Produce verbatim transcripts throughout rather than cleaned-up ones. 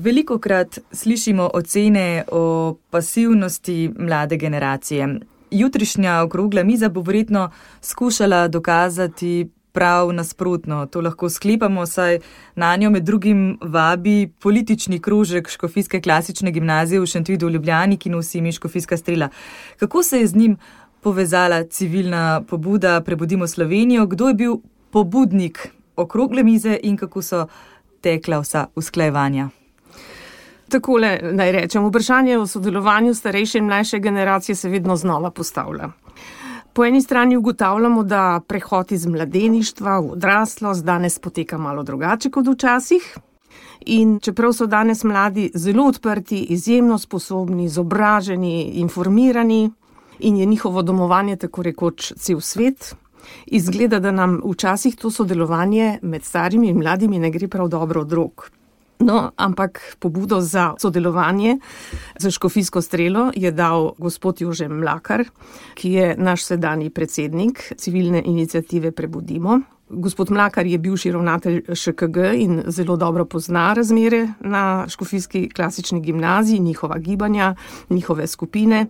Velikokrat slišimo ocene o pasivnosti mlade generacije. Jutrišnja okrogla miza bo verjetno skušala dokazati prav nasprotno. To lahko sklepamo, saj na njo med drugim vabi politični krožek Škofijske klasične gimnazije v Šentvidu v Ljubljani, ki nosi ime Škofijska strela. Kako se je z njim povezala civilna pobuda Prebudimo Slovenijo? Kdo je bil pobudnik okrogle mize in kako so tekla vsa usklajevanja? Takole naj rečem, vprašanje o sodelovanju starejše in mlajše generacije se vedno znova postavlja. Po eni strani ugotavljamo, da prehod iz mladeništva v odraslost danes poteka malo drugače kot včasih. In čeprav so danes mladi zelo odprti, izjemno sposobni, izobraženi, informirani in je njihovo domovanje tako rekoč cel svet, izgleda, da nam včasih to sodelovanje med starimi in mladimi ne gre prav dobro od rok. No, ampak pobudo za sodelovanje za Škofijsko strelo je dal gospod Jože Mlakar, ki je naš sedanji predsednik civilne iniciative Prebudimo. Gospod Mlakar je bivši ravnatelj Š K G in zelo dobro pozna razmere na Škofijski klasični gimnaziji, njihova gibanja, njihove skupine.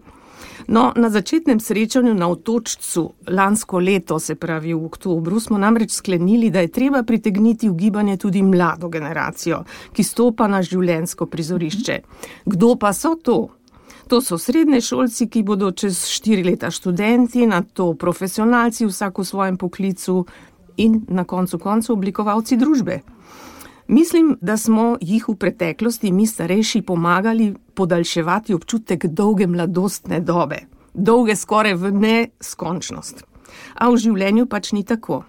No, na začetnem srečanju na Otočcu lansko leto, se pravi v oktobru, smo namreč sklenili, da je treba pritegniti v gibanje tudi mlado generacijo, ki stopa na življenjsko prizorišče. Kdo pa so to? To so srednješolci, ki bodo čez štiri leta študenti, nato profesionalci vsak v svojem poklicu in na koncu koncu oblikovalci družbe. Mislim, da smo jih v preteklosti mi starejši pomagali podaljševati občutek dolge mladostne dobe, dolge skoraj v neskončnost. A v življenju pač ni tako.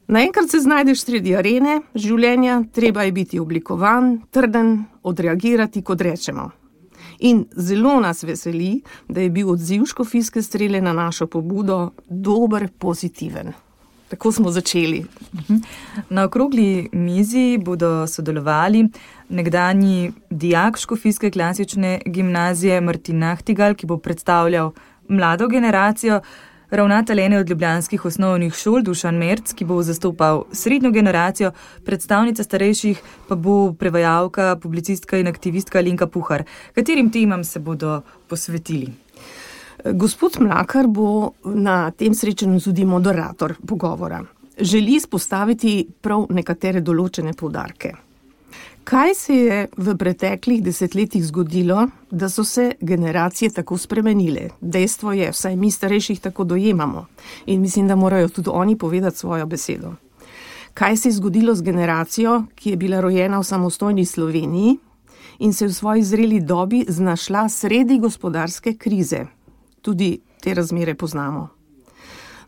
Naenkrat se znajdeš sredi arene življenja, treba je biti oblikovan, trden, odreagirati, kot rečemo. In zelo nas veseli, da je bil odziv Škofijske strele na našo pobudo dober, pozitiven. Tako smo začeli. Na okrogli mizi bodo sodelovali nekdanji dijak Škofijske klasične gimnazije Martin Nahtigal, ki bo predstavljal mlado generacijo, ravnatelj ene od ljubljanskih osnovnih šol Dušan Merc, ki bo zastopal srednjo generacijo, predstavnica starejših pa bo prevajalka, publicistka in aktivistka Alenka Puhar. Katerim temam se bodo posvetili? Gospod Mlakar bo na tem srečanju tudi moderator pogovora. Želi izpostaviti prav nekatere določene poudarke. Kaj se je v preteklih desetletjih zgodilo, da so se generacije tako spremenile? Dejstvo je, vsaj mi starejših tako dojemamo in mislim, da morajo tudi oni povedati svojo besedo. Kaj se je zgodilo z generacijo, ki je bila rojena v samostojni Sloveniji in se v svoji zreli dobi znašla sredi gospodarske krize? Tudi te razmere poznamo.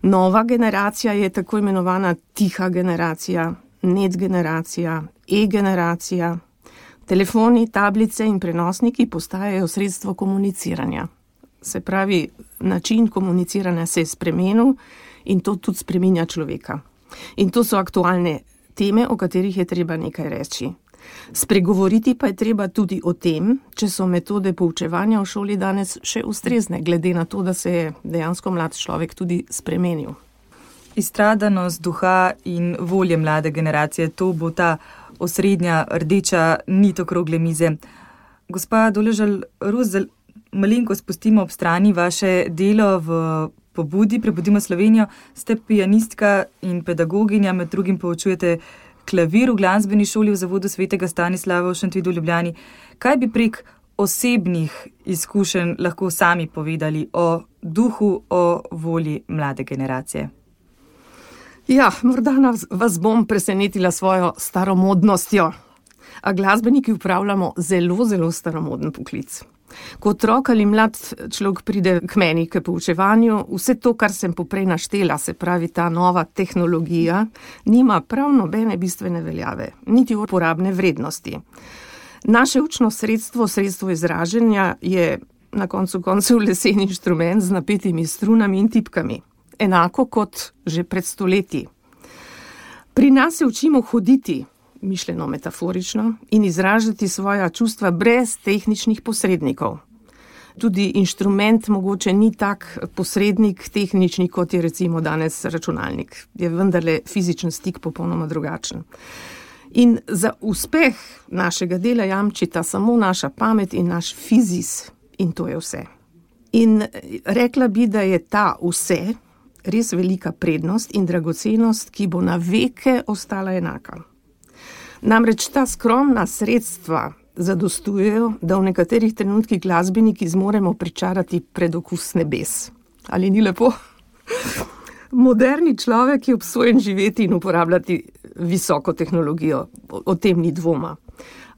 Nova generacija je tako imenovana tiha generacija, net generacija, e-generacija. Telefoni, tablice in prenosniki postajajo sredstvo komuniciranja. Se pravi, način komuniciranja se je spremenil in to tudi spreminja človeka. In to so aktualne teme, o katerih je treba nekaj reči. Spregovoriti pa je treba tudi o tem, če so metode poučevanja v šoli danes še ustrezne, glede na to, da se je dejansko mlad človek tudi spremenil. Izstradanost duha in volje mlade generacije, to bo ta osrednja rdeča nit okrogle mize. Gospa Doležal-Rus, malenko spustimo ob strani vaše delo v pobudi Prebudimo Slovenijo. Ste pianistka in pedagoginja, med drugim poučujete klavir v glasbeni šoli v Zavodu svetega Stanislava v Šentvidu v Ljubljani. Kaj bi prek osebnih izkušenj lahko sami povedali o duhu, o volji mlade generacije? Ja, morda vas bom presenetila svojo staromodnostjo. A glasbeniki upravljamo zelo, zelo staromoden poklic. Ko otrok ali mlad človek pride k meni k poučevanju, vse to, kar sem poprej naštela, se pravi ta nova tehnologija, nima prav nobene bistvene veljave, niti uporabne vrednosti. Naše učno sredstvo, sredstvo izražanja je na koncu koncev lesen inštrument z napetimi strunami in tipkami, enako kot že pred stoletji. Pri nas se učimo hoditi, mišljeno metaforično, in izražati svoja čustva brez tehničnih posrednikov. Tudi inštrument mogoče ni tak posrednik tehnični, kot je recimo danes računalnik. Je vendarle fizičen stik popolnoma drugačen. In za uspeh našega dela jamčita samo naša pamet in naš fizis. In to je vse. In rekla bi, da je ta vse res velika prednost in dragocenost, ki bo na veke ostala enaka. Namreč ta skromna sredstva zadostujejo, da v nekaterih trenutkih glasbeniki zmoremo pričarati predokus nebes. Ali ni lepo? Moderni človek je obsojen živeti in uporabljati visoko tehnologijo, o tem ni dvoma.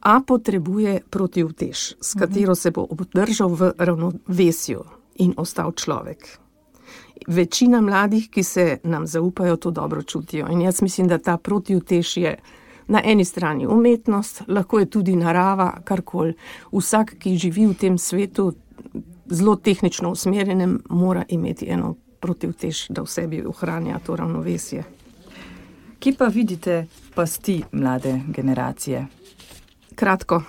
A potrebuje protiutež, s katero se bo obdržal v ravnovesju in ostal človek. Večina mladih, ki se nam zaupajo, to dobro čutijo. In jaz mislim, da ta protiutež je na eni strani umetnost, lahko je tudi narava, karkoli. Vsak, ki živi v tem svetu, zelo tehnično usmerjenem, mora imeti eno protiutež, da v sebi ohranja to ravnovesje. Kje pa vidite pasti mlade generacije? Kratko.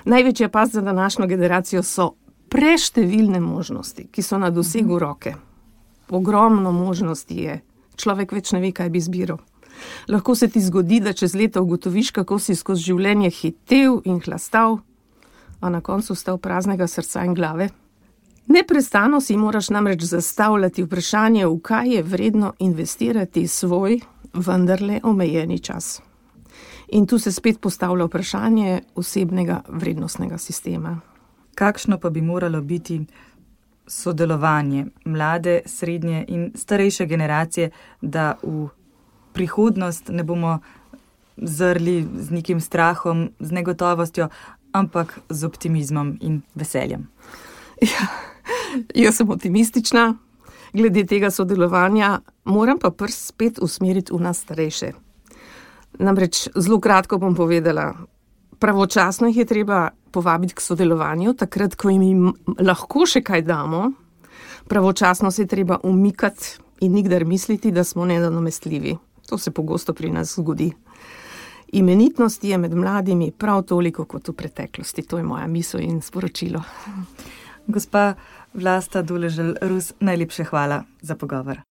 Največja past za današnjo generacijo so preštevilne možnosti, ki so na dosegu roke. Ogromno možnosti je. Človek več ne ve, kaj bi izbiral. Lahko se ti zgodi, da čez leta ugotoviš, kako si skozi življenje hitel in hlastal, a na koncu stal praznega srca in glave. Neprestano si moraš namreč zastavljati vprašanje, v kaj je vredno investirati svoj, vendarle omejeni čas. In tu se spet postavlja vprašanje osebnega vrednostnega sistema. Kakšno pa bi moralo biti sodelovanje mlade, srednje in starejše generacije, da v prihodnost ne bomo zrli z nekim strahom, z negotovostjo, ampak z optimizmom in veseljem? Ja, jaz sem optimistična glede tega sodelovanja, moram pa prst spet usmeriti v nas starejše. Namreč zelo kratko bom povedala, pravočasno jih je treba povabiti k sodelovanju, takrat, ko jim lahko še kaj damo, pravočasno se je treba umikati in nikdar misliti, da smo nenadomestljivi. To se pogosto pri nas zgodi. Imenitnost je med mladimi prav toliko kot v preteklosti. To je moja misel in sporočilo. Gospa Vlasta Doležal Rus, najlepše hvala za pogovor.